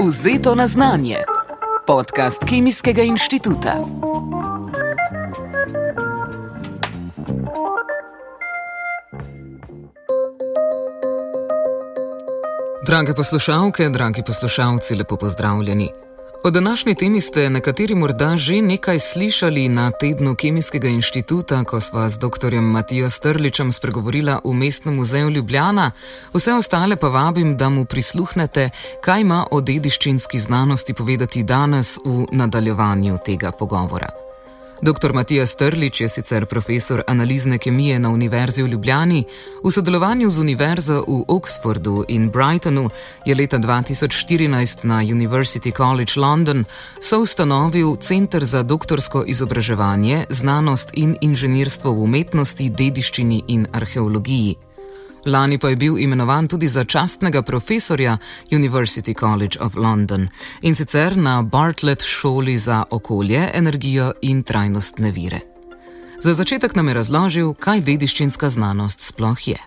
Vzeto na znanje. Podcast Kemijskega inštituta. Drage poslušalke, dragi poslušalci, lepo pozdravljeni. O današnji temi ste nekateri morda že nekaj slišali na tednu Kemijskega inštituta, ko sva z dr. Matijo Strličem spregovorila v Mestnem muzeju Ljubljana. Vse ostale pa vabim, da mu prisluhnete, kaj ima o dediščinski znanosti povedati danes v nadaljevanju tega pogovora. Dr. Matija Strlič je sicer profesor analizne kemije na Univerzi v Ljubljani. V sodelovanju z Univerzo v Oxfordu in Brightonu je leta 2014 na University College London soustanovil Center za doktorsko izobraževanje, znanost in inženirstvo v umetnosti, dediščini in arheologiji. Lani pa je bil imenovan tudi za častnega profesorja University College of London, in sicer na Bartlett šoli za okolje, energijo in trajnostne vire. Za začetek nam je razložil, kaj dediščinska znanost sploh je.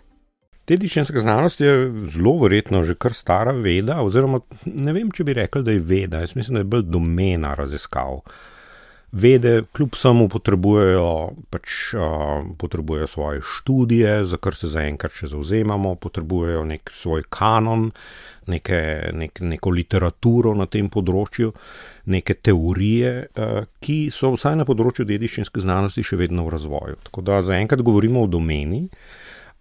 Dediščinska znanost je zelo verjetno že kar stara veda, oziroma ne vem, če bi rekli, da je veda. Jaz mislim, da je bolj domena raziskav. Vede kljub samo potrebujejo svoje študije, za kar se zaenkrat še zavzemamo, potrebujejo nek svoj kanon, neko literaturo na tem področju, neke teorije, ki so vsaj na področju dediščinske znanosti še vedno v razvoju. Tako da zaenkrat govorimo o domeni.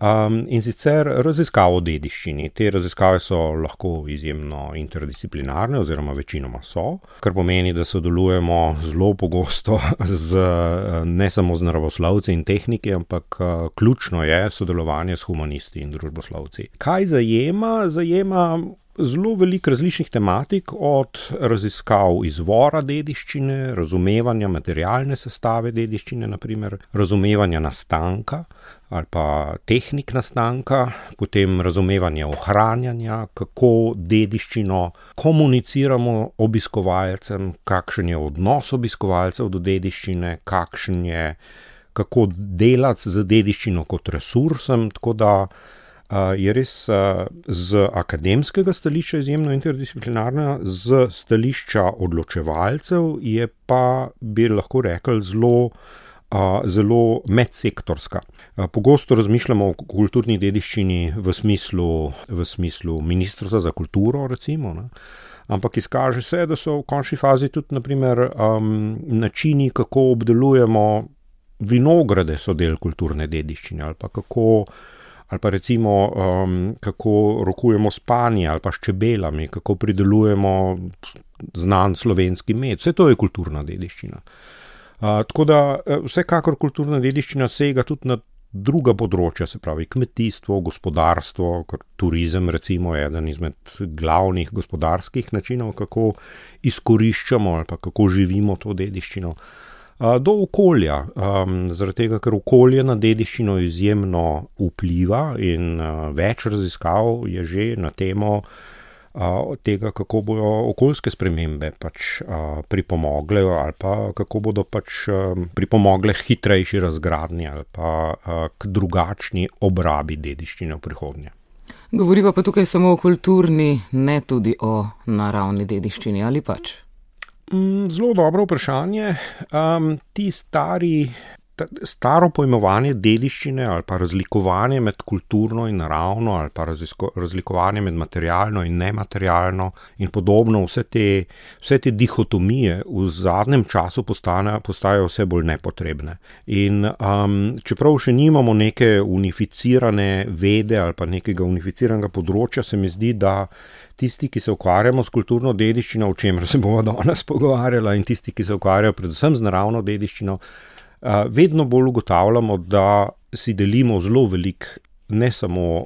In sicer raziskave o dediščini. Te raziskave so lahko izjemno interdisciplinarne, oziroma večinoma so, kar pomeni, da sodelujemo zelo pogosto ne samo z naravoslovci in tehniki, ampak ključno je sodelovanje s humanisti in družboslovci. Kaj zajema? Zajema zelo veliko različnih tematik, od raziskav izvora dediščine, razumevanja materialne sestave dediščine, naprimer, razumevanja nastanka ali pa tehnik nastanka, potem razumevanje ohranjanja, kako dediščino komuniciramo obiskovalcem, kakšen je odnos obiskovalcev do dediščine, kako delati z dediščino kot resursom, tako da je res z akademskega stališča izjemno interdisciplinarna, z stališča odločevalcev je pa, bi lahko rekli, zelo medsektorska. Pogosto razmišljamo o kulturni dediščini v smislu Ministrstva za kulturo, recimo, ne? Ampak izkaže se, da so v končni fazi tudi, naprimer, načini, kako obdelujemo vinograde, so del kulturne dediščine, ali pa recimo, kako rokujemo s panji ali pa s čebelami, kako pridelujemo znan slovenski med. Vse to je kulturna dediščina. Tako da vsekakor kulturna dediščina sega tudi na druga področja, se pravi kmetijstvo, gospodarstvo, turizem recimo je eden izmed glavnih gospodarskih načinov, kako izkoriščamo ali pa kako živimo to dediščino. Do okolja, zaradi tega, ker okolje na dediščino izjemno vpliva in več raziskav je že na temo tega, kako bodo okoljske spremembe pripomogle ali pa kako bodo pripomogle hitrejši razgradnji ali pa k drugačni obrabi dediščine v prihodnje. Govoriva pa tukaj samo o kulturni, ne tudi o naravni dediščini, ali pač? Zelo dobro vprašanje. Staro pojmovanje dediščine ali pa razlikovanje med kulturno in naravno ali pa razlikovanje med materialno in nematerialno in podobno, vse te dihotomije v zadnjem času postajajo vse bolj nepotrebne. In čeprav še nimamo neke unificirane vede ali pa nekega unificiranega področja, se mi zdi, da tisti, ki se ukvarjamo s kulturno dediščino, o čemer se bomo danes pogovarjali, in tisti, ki se ukvarjajo predvsem z naravno dediščino, vedno bolj ugotavljamo, da si delimo zelo veliko ne samo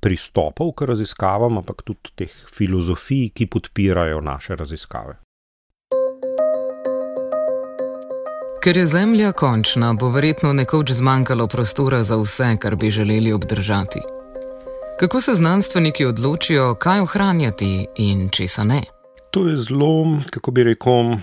pristopov k raziskavam, ampak tudi teh filozofij, ki podpirajo naše raziskave. Ker je Zemlja končna, bo verjetno nekoč zmanjkalo prostora za vse, kar bi želeli obdržati. Kako se znanstveniki odločijo, kaj ohranjati in česa ne? To je zelo, kako bi rekel,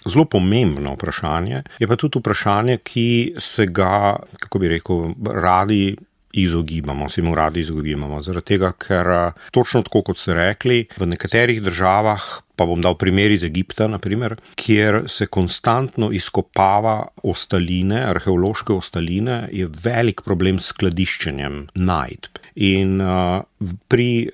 zelo pomembno vprašanje, je pa tudi vprašanje, ki se ga, kako bi rekel, radi izogibamo, zaradi tega, ker točno tako, kot ste rekli, v nekaterih državah, pa bom dal primer iz Egipta, naprimer, kjer se konstantno izkopava ostaline, arheološke ostaline, je velik problem s skladiščenjem najdb. In pri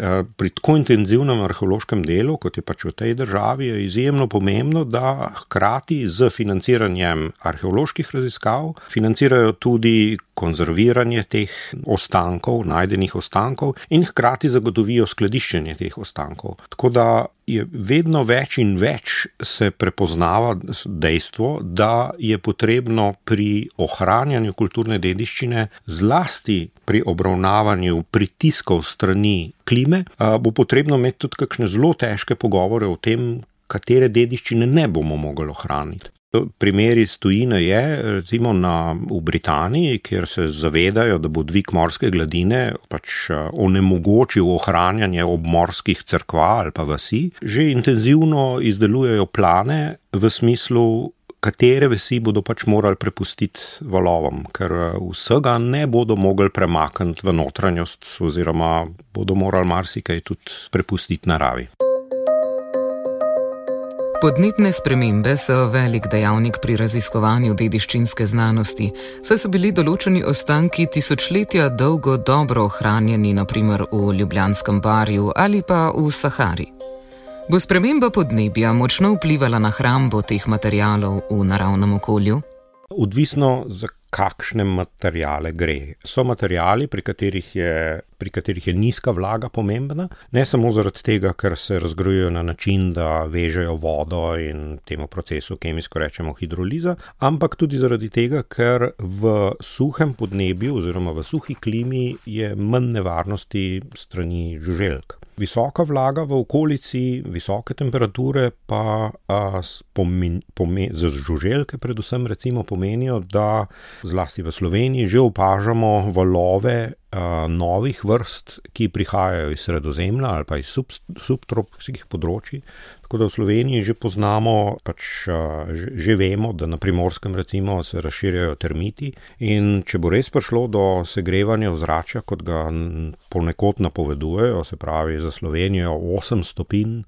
tako intenzivnem arheološkem delu, kot je pač v tej državi, je izjemno pomembno, da hkrati z financiranjem arheoloških raziskav financirajo tudi konzerviranje teh ostankov, najdenih ostankov in hkrati zagotovijo skladiščenje teh ostankov. Tako da je vedno več in več se prepoznava dejstvo, da je potrebno pri ohranjanju kulturne dediščine, zlasti pri obravnavanju pritiskov strani klime, bo potrebno imeti tudi kakšne zelo težke pogovore o tem, katere dediščine ne bomo mogli ohraniti. Primer iz tujine je, recimo v Britaniji, kjer se zavedajo, da bo dvig morske gladine pač onemogočil ohranjanje obmorskih cerkva ali pa vasi, že intenzivno izdelujejo plane v smislu, katere vasi bodo pač morali prepustiti valovom, ker vsega ne bodo mogli premakniti v notranjost oziroma bodo morali marsikaj tudi prepustiti naravi. Podnebne spremembe so velik dejavnik pri raziskovanju dediščinske znanosti, saj so bili določeni ostanki tisočletja dolgo dobro ohranjeni, na primer v Ljubljanskem barju ali pa v Sahari. Bo sprememba podnebja močno vplivala na hrambo teh materialov v naravnem okolju? Odvisno, za kakšne materiale gre. So materiali, pri katerih je nizka vlaga pomembna, ne samo zaradi tega, ker se razgrojujejo na način, da vežejo vodo in temu procesu kemijsko rečemo hidroliza, ampak tudi zaradi tega, ker v suhem podnebju oziroma v suhi klimi je manj nevarnosti strani žuželk. Visoka vlaga v okolici, visoke temperature pa za žuželke predvsem recimo pomenijo, da zlasti v Sloveniji že opažamo valove novih vrst, ki prihajajo iz Sredozemlja ali pa iz subtropskih področij. Tako da v Sloveniji že poznamo, že vemo, da na Primorskem recimo se razširjajo termiti in če bo res prišlo do segrevanja ozračja, kot ga ponekod napovedujejo, se pravi za Slovenijo 8 stopinj,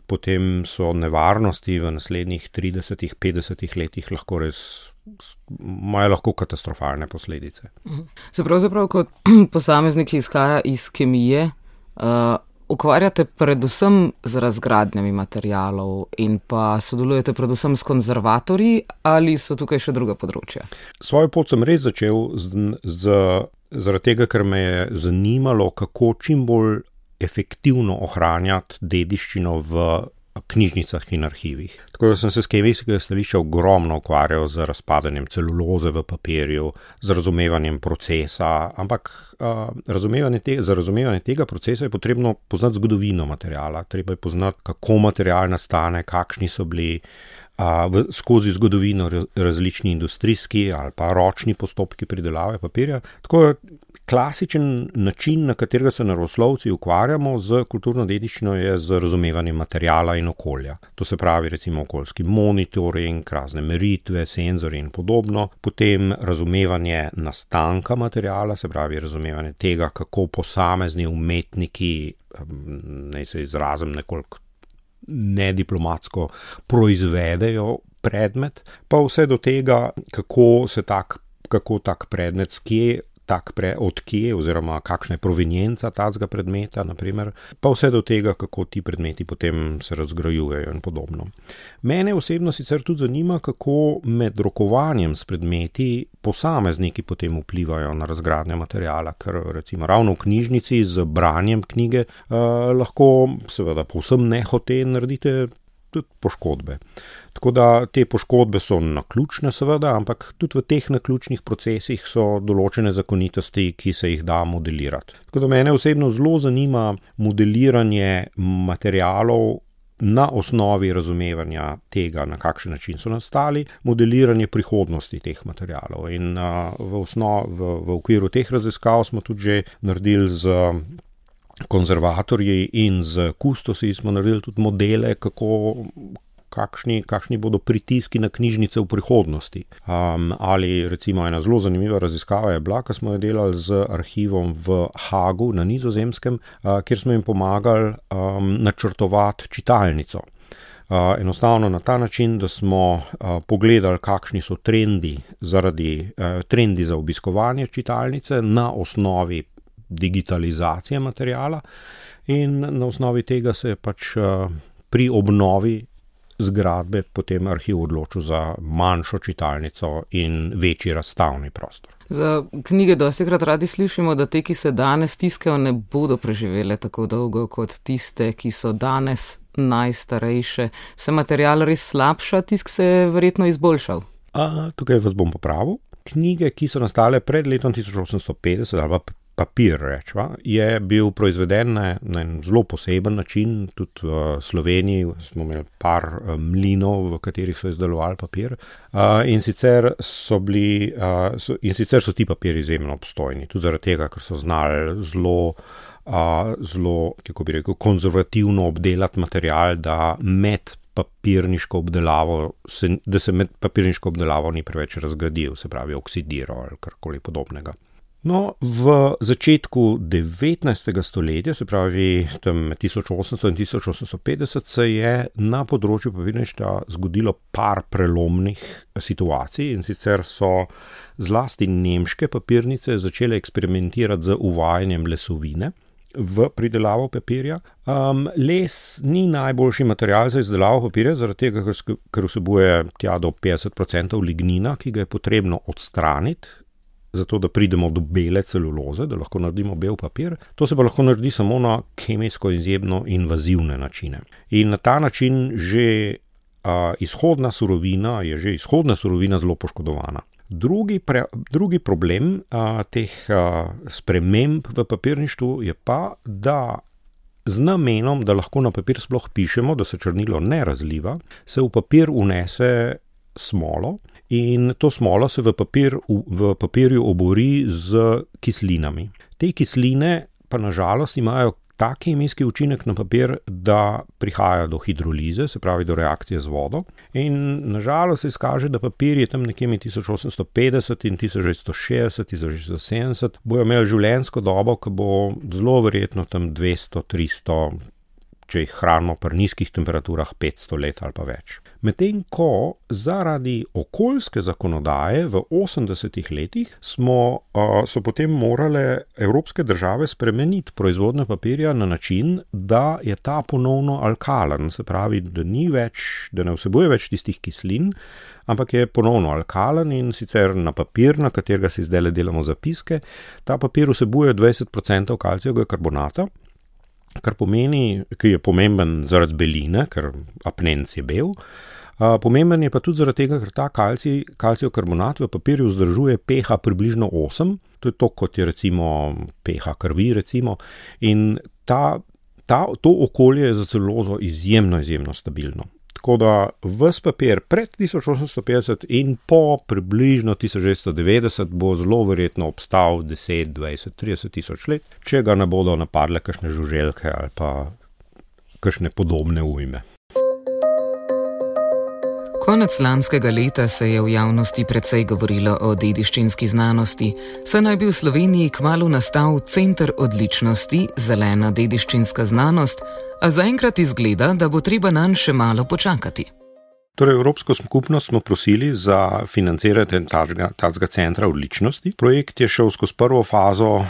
potem so nevarnosti v naslednjih 30-50 letih imajo lahko katastrofalne posledice. Se pravzaprav kot posameznik izhaja iz kemije, ukvarjate predvsem z razgradnjami materialov in pa sodelujete predvsem s konzervatorji ali so tukaj še druga področja? Svojo pot sem res začel zaradi tega, ker me je zanimalo, kako čim bolj efektivno ohranjati dediščino v knjižnicah in arhivih. Tako da sem se s kemijskega stališča ogromno ukvarjal z razpadanjem celuloze v papirju, z razumevanjem procesa, ampak za razumevanje tega procesa je potrebno poznati zgodovino materiala, treba je poznati, kako material nastane, kakšni so bili skozi zgodovino različni industrijski ali pa ročni postopki pridelave papirja. Tako je klasičen način, na katerega se naravoslovci ukvarjamo z kulturno dediščino, je z razumevanjem materiala in okolja. To se pravi recimo okoljski monitoring, razne meritve, senzori in podobno. Potem razumevanje nastanka materiala, se pravi razumevanje tega, kako posamezni umetniki, naj se izrazim nekoliko nediplomatsko, proizvedejo predmet, pa vse do tega, kako tak predmet odkje oziroma kakšna je provenienca tacga predmeta, naprimer, pa vse do tega, kako ti predmeti potem se razgrajujejo in podobno. Mene osebno sicer tudi zanima, kako med rokovanjem s predmeti posamezniki potem vplivajo na razgradnjo materiala, ker recimo ravno v knjižnici z branjem knjige lahko seveda povsem nehote naredite tudi poškodbe. Tako da te poškodbe so naključne seveda, ampak tudi v teh naključnih procesih so določene zakonitosti, ki se jih da modelirati. Tako da mene osebno zelo zanima modeliranje materialov na osnovi razumevanja tega, na kakšen način so nastali, modeliranje prihodnosti teh materialov. In v okviru teh raziskav smo tudi že naredili z konzervatorji in z kustosi smo naredili tudi modele, kakšni bodo pritiski na knjižnice v prihodnosti. Ali recimo ena zelo zanimiva raziskava je bila, ko smo jo delali z arhivom v Hagu na Nizozemskem, kjer smo jim pomagali načrtovati čitalnico. Enostavno na ta način, da smo pogledali, kakšni so trendi za obiskovanje čitalnice na osnovi digitalizacije materiala in na osnovi tega se je pač pri obnovi zgradbe potem arhiv odločil za manjšo čitalnico in večji razstavni prostor. Za knjige dostikrat radi slišimo, da te, ki se danes tiskajo, ne bodo preživele tako dolgo kot tiste, ki so danes najstarejše. Se material res slabša, tisk se je verjetno izboljšal? Tukaj vas bom popravil. Knjige, ki so nastale pred letom 1850 ali pa papir, rečva, je bil proizveden na en zelo poseben način. Tudi v Sloveniji smo imeli par mlinov, v katerih so izdelovali papir. In sicer so ti papiri izjemno obstojni. Tudi zaradi tega, ker so znali zelo, kako bi rekel, konzervativno obdelati material, da se med papirniško obdelavo ni preveč razgradil, se pravi oksidiral ali karkoli podobnega. No, v začetku 19. stoletja, se pravi tam 1800 in 1850, se je na področju papirništva zgodilo par prelomnih situacij, in sicer so zlasti nemške papirnice začele eksperimentirati z uvajanjem lesovine v pridelavo papirja. Les ni najboljši material za izdelavo papirja, zaradi tega, ker vsebuje tja do 50% lignina, ki ga je potrebno odstraniti, zato da pridemo do bele celuloze, da lahko naredimo bel papir. To se pa lahko naredi samo na kemijsko izjemno invazivne načine. In na ta način že izhodna surovina zelo poškodovana. Drugi problem teh sprememb v papirništvu je pa, da z namenom, da lahko na papir sploh pišemo, da se črnilo ne razliva, se v papir vnese smolo, in to smolo se v papirju obori z kislinami. Te kisline pa na žalost imajo tak kemijski učinek na papir, da prihaja do hidrolize, se pravi do reakcije z vodo. In na žalost se izkaže, da papir je tam nekje med 1850 in 1960, 1970, bojo imeli življenjsko dobo, ki bo zelo verjetno tam 200, 300, če jih hranimo pri nizkih temperaturah 500 let ali pa več. Medtem ko zaradi okoljske zakonodaje v 80. letih so potem morale evropske države spremeniti proizvodnjo papirja na način, da je ta ponovno alkalen, se pravi, da ne vsebuje več tistih kislin, ampak je ponovno alkalen, in sicer na papir, na katerega si zdaj delamo zapiske, ta papir vsebuje 20% kalcijevega karbonata, kar pomeni, ki je pomemben zaradi beline, ker apnenc je bel. Pomemben je pa tudi zaradi tega, ker ta kalcijev karbonat v papirju vzdržuje pH približno 8, to je to, kot je recimo pH krvi, recimo, in to okolje je za celulozo izjemno stabilno. Tako da ves papir pred 1850 in po približno 1990 bo zelo verjetno obstal 10, 20, 30 tisoč let, če ga ne bodo napadle kakšne žuželke ali pa kakšne podobne ujme. Konec lanskega leta se je v javnosti precej govorilo o dediščinski znanosti, saj naj bi v Sloveniji kmalu nastal center odličnosti, zelena dediščinska znanost, a zaenkrat izgleda, da bo treba nanj še malo počakati. Torej, Evropsko skupnost smo prosili za financiranje tazga centra odličnosti. Projekt je šel skozi prvo fazo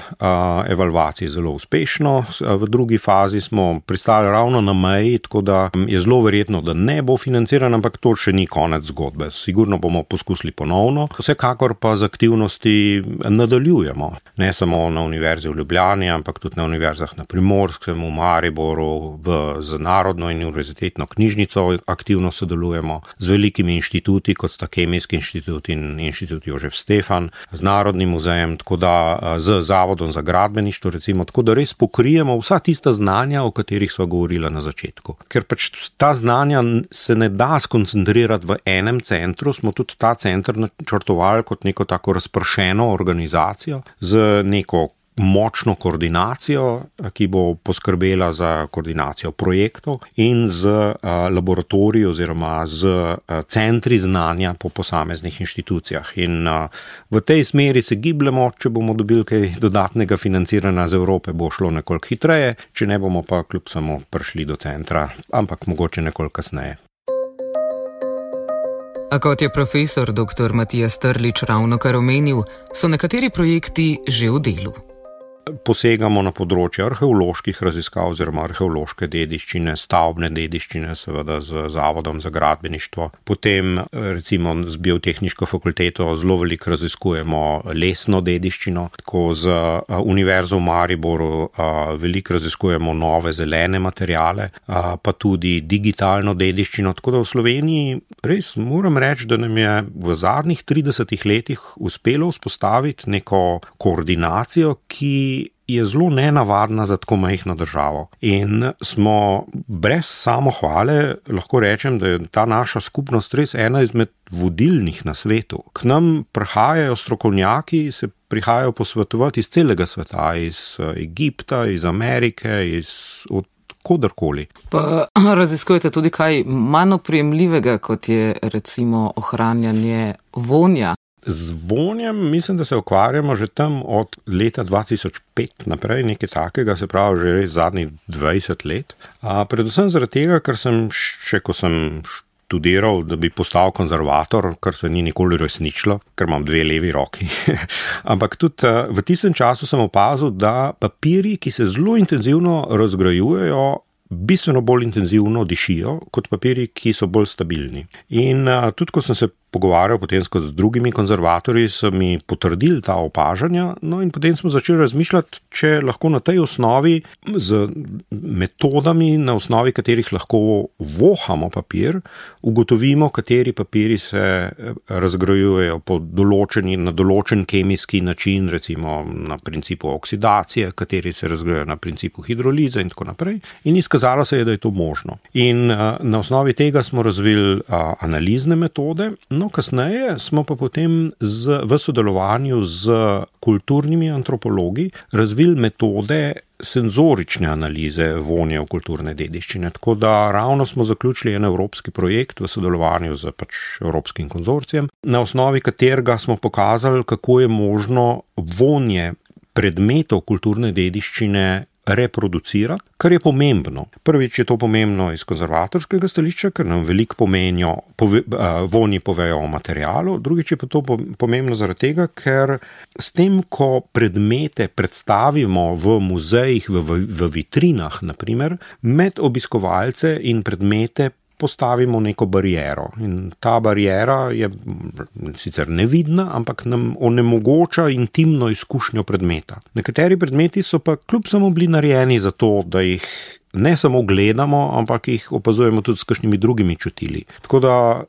evalvacije zelo uspešno, v drugi fazi smo pristali ravno na meji, tako da je zelo verjetno, da ne bo financiran, ampak to še ni konec zgodbe. Sigurno bomo poskusili ponovno, vsekakor pa z aktivnosti nadaljujemo. Ne samo na Univerzi v Ljubljani, ampak tudi na univerzah na Primorskem, v Mariboru, z Narodno in univerzitetno knjižnico aktivno sodelujemo. Z velikimi inštituti, kot sta Kemijski inštitut in inštitut Jožef Stefan, z Narodnim muzejem, tako da z Zavodom za gradbeništvo, recimo, tako da res pokrijemo vsa tista znanja, o katerih sva govorila na začetku. Ker pač ta znanja se ne da skoncentrirati v enem centru, smo tudi ta center načrtovali kot neko tako razpršeno organizacijo z močno koordinacijo, ki bo poskrbela za koordinacijo projektov in z laboratoriji oziroma z centri znanja po posameznih inštitucijah. In v tej smeri se gibljemo, če bomo dobili kaj dodatnega financiranja z Evrope, bo šlo nekoliko hitreje, če ne bomo pa kljub samo prišli do centra, ampak mogoče nekoliko kasneje. A kot je profesor dr. Matija Strlič ravnokar omenil, so nekateri projekti že v delu. Posegamo na področje arheoloških raziskav oziroma arheološke dediščine, stavbne dediščine, seveda z Zavodom za gradbeništvo. Potem recimo z biotehniško fakulteto zelo veliko raziskujemo lesno dediščino, tako z Univerzo v Mariboru veliko raziskujemo nove zelene materiale, pa tudi digitalno dediščino, tako da v Sloveniji res moram reči, da nam je v zadnjih 30 letih uspelo vzpostaviti neko koordinacijo, ki je zelo nenavadna za tako majhno državo. In smo brez samohvale, lahko rečem, da je ta naša skupnost res ena izmed vodilnih na svetu. K nam prihajajo strokovnjaki, se prihajajo posvetovati iz celega sveta, iz Egipta, iz Amerike, od kodarkoli. Pa raziskujete tudi kaj manj oprijemljivega, kot je recimo ohranjanje vonja? Z vonjem mislim, da se ukvarjamo že tam od leta 2005 naprej, nekaj takega, se pravi že res zadnjih 20 let. Predvsem zaradi tega, ker sem še, ko sem študiral, da bi postal konzervator, kar se ni nikoli resničilo, ker imam 2 levi roki. Ampak tudi v tistem času sem opazil, da papirji, ki se zelo intenzivno razgrajujejo, bistveno bolj intenzivno dišijo kot papirji, ki so bolj stabilni. In tudi, ko sem se pogovarjal potem z drugimi konzervatorji, so mi potrdili ta opažanja, no in potem smo začeli razmišljati, če lahko na tej osnovi, z metodami, na osnovi katerih lahko vohamo papir, ugotovimo, kateri papiri se razgrajujejo na določen kemijski način, recimo na principu oksidacije, kateri se razgrajujejo na principu hidrolize in tako naprej. In izkazalo se je, da je to možno. In na osnovi tega smo razvili analizne metode. No, kasneje smo pa potem v sodelovanju z kulturnimi antropologi razvili metode senzorične analize vonja v kulturne dediščine. Tako da ravno smo zaključili en evropski projekt v sodelovanju z Evropskim konzorcijem, na osnovi katerega smo pokazali, kako je možno vonje predmetov kulturne dediščine reproducirati, kar je pomembno. Prvič je to pomembno iz konzervatorskega stališča, ker nam veliko pomenijo, vonji povejo o materialu, drugič je pa to pomembno zaradi tega, ker s tem, ko predmete predstavimo v muzejih, v vitrinah, naprimer, med obiskovalce in predmete postavimo neko bariero. In ta bariera je sicer nevidna, ampak nam onemogoča intimno izkušnjo predmeta. Nekateri predmeti so pa kljub samo bili narejeni za to, da jih ne samo gledamo, ampak jih opazujemo tudi s kakšnimi drugimi čutili. Tako da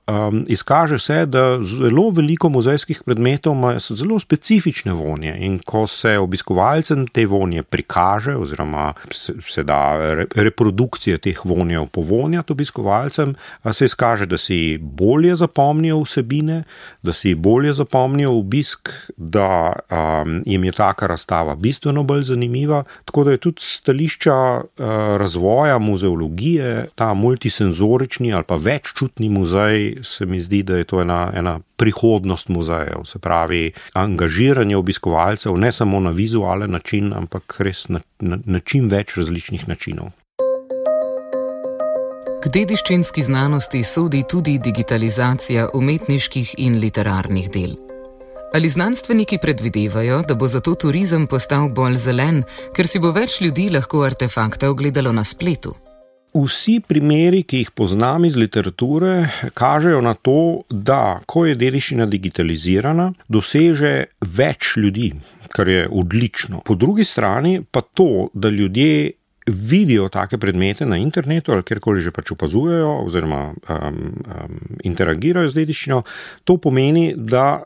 izkaže se, da zelo veliko muzejskih predmetov ima zelo specifične vonje in ko se obiskovalcem te vonje prikaže oziroma se da reprodukcije teh vonjev povonjati obiskovalcem, se izkaže, da si bolje zapomnijo vsebine, da si bolje zapomnijo obisk, da jim je taka razstava bistveno bolj zanimiva, tako da je tudi stališča razvoja muzeologije, ta multisenzorični ali pa veččutni muzej, se mi zdi, da je to ena prihodnost muzejev, se pravi angažiranje obiskovalcev ne samo na vizualen način, ampak res na čim več različnih načinov. K dediščinski znanosti sodi tudi digitalizacija umetniških in literarnih del. Ali znanstveniki predvidevajo, da bo zato turizem postal bolj zelen, ker si bo več ljudi lahko artefakte ogledalo na spletu? Vsi primeri, ki jih poznam iz literature, kažejo na to, da ko je dediščina digitalizirana, doseže več ljudi, kar je odlično. Po drugi strani pa to, da ljudje vidijo take predmete na internetu ali kjerkoli že pač opazujejo oziroma interagirajo z dediščino, to pomeni, da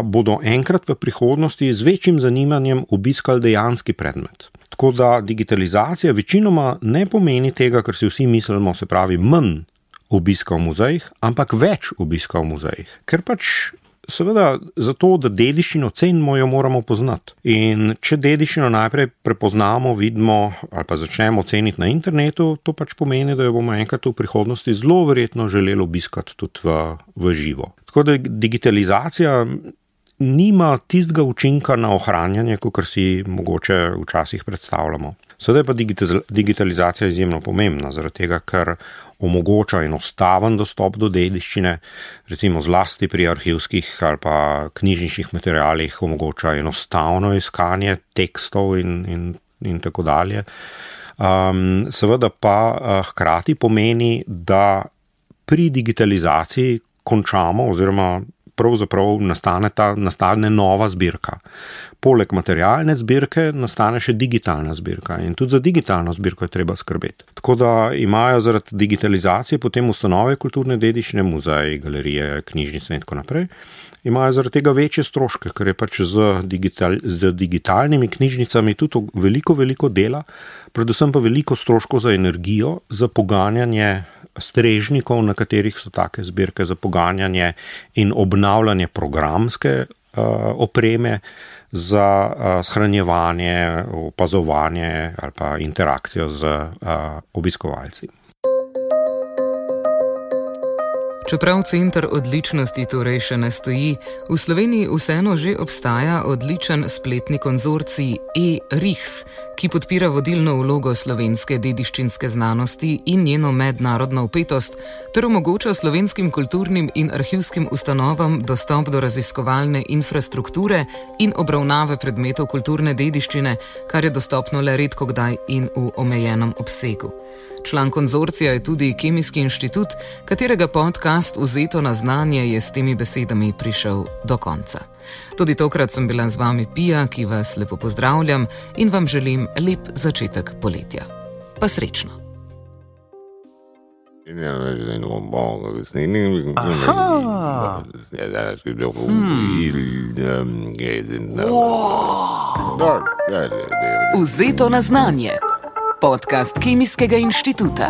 bodo enkrat v prihodnosti z večjim zanimanjem obiskali dejanski predmet. Tako da digitalizacija večinoma ne pomeni tega, kar si vsi mislimo, se pravi manj obiska v muzejih, ampak več obiska v muzejih. Ker pač seveda zato, da dediščino cenimo, jo moramo poznati. In če dediščino najprej prepoznamo, vidimo ali pa začnemo ceniti na internetu, to pač pomeni, da jo bomo enkrat v prihodnosti zelo verjetno želeli obiskati tudi v živo. Tako da digitalizacija nima tistega učinka na ohranjanje, kakor si mogoče včasih predstavljamo. Sedaj pa digitalizacija je izjemno pomembna, zaradi tega, ker omogoča enostaven dostop do dediščine, recimo zlasti pri arhivskih ali pa knjižničnih materialih omogoča enostavno iskanje tekstov in tako dalje. Seveda pa hkrati pomeni, da pri digitalizaciji končamo oziroma pravzaprav nastane nova zbirka. Poleg materialne zbirke nastane še digitalna zbirka in tudi za digitalno zbirko je treba skrbeti. Tako da imajo zaradi digitalizacije potem ustanove kulturne dediščine, muzeji, galerije, knjižnice in tako naprej, imajo zaradi tega večje stroške, ker je pač z digitalnimi knjižnicami tudi veliko dela, predvsem pa veliko stroškov za energijo, za poganjanje strežnikov, na katerih so take zbirke, za poganjanje in obnavljanje programske opreme, za shranjevanje, opazovanje ali pa interakcijo z obiskovalci. Čeprav center odličnosti torej še ne stoji, v Sloveniji vseeno že obstaja odličen spletni konzorcij e-RIHS, ki podpira vodilno vlogo slovenske dediščinske znanosti in njeno mednarodno vpetost, ter omogoča slovenskim kulturnim in arhivskim ustanovam dostop do raziskovalne infrastrukture in obravnave predmetov kulturne dediščine, kar je dostopno le redkokdaj in v omejenem obsegu. Član konzorcija je tudi Kemijski inštitut, katerega podcast Vzeto na znanje je s temi besedami prišel do konca. Tudi tokrat sem bila z vami Pija, ki vas lepo pozdravljam in vam želim lep začetek poletja. Pa srečno! Vzeto na znanje. Podcast Kemijskega inštituta.